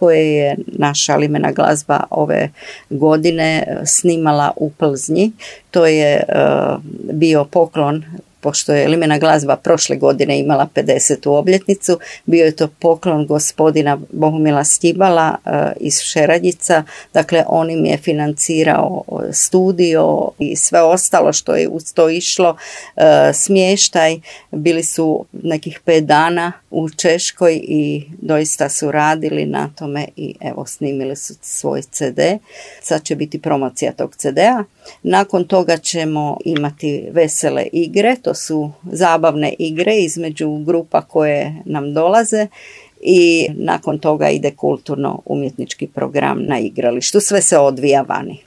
koje je naša Limena glazba ove godine snimala u Plznji. To je bio poklon, pošto je Limena glazba prošle godine imala 50. obljetnicu, bio je to poklon gospodina Bohumila Stibala iz Šeradjica. Dakle, on im je financirao studio i sve ostalo što je uz to išlo, smještaj. Bili su nekih 5 dana u Češkoj i doista su radili na tome i evo snimili su svoj CD. Sad će biti promocija tog CD-a. Nakon toga ćemo imati vesele igre, to su zabavne igre između grupa koje nam dolaze i nakon toga ide kulturno-umjetnički program na igralištu. Sve se odvija vani.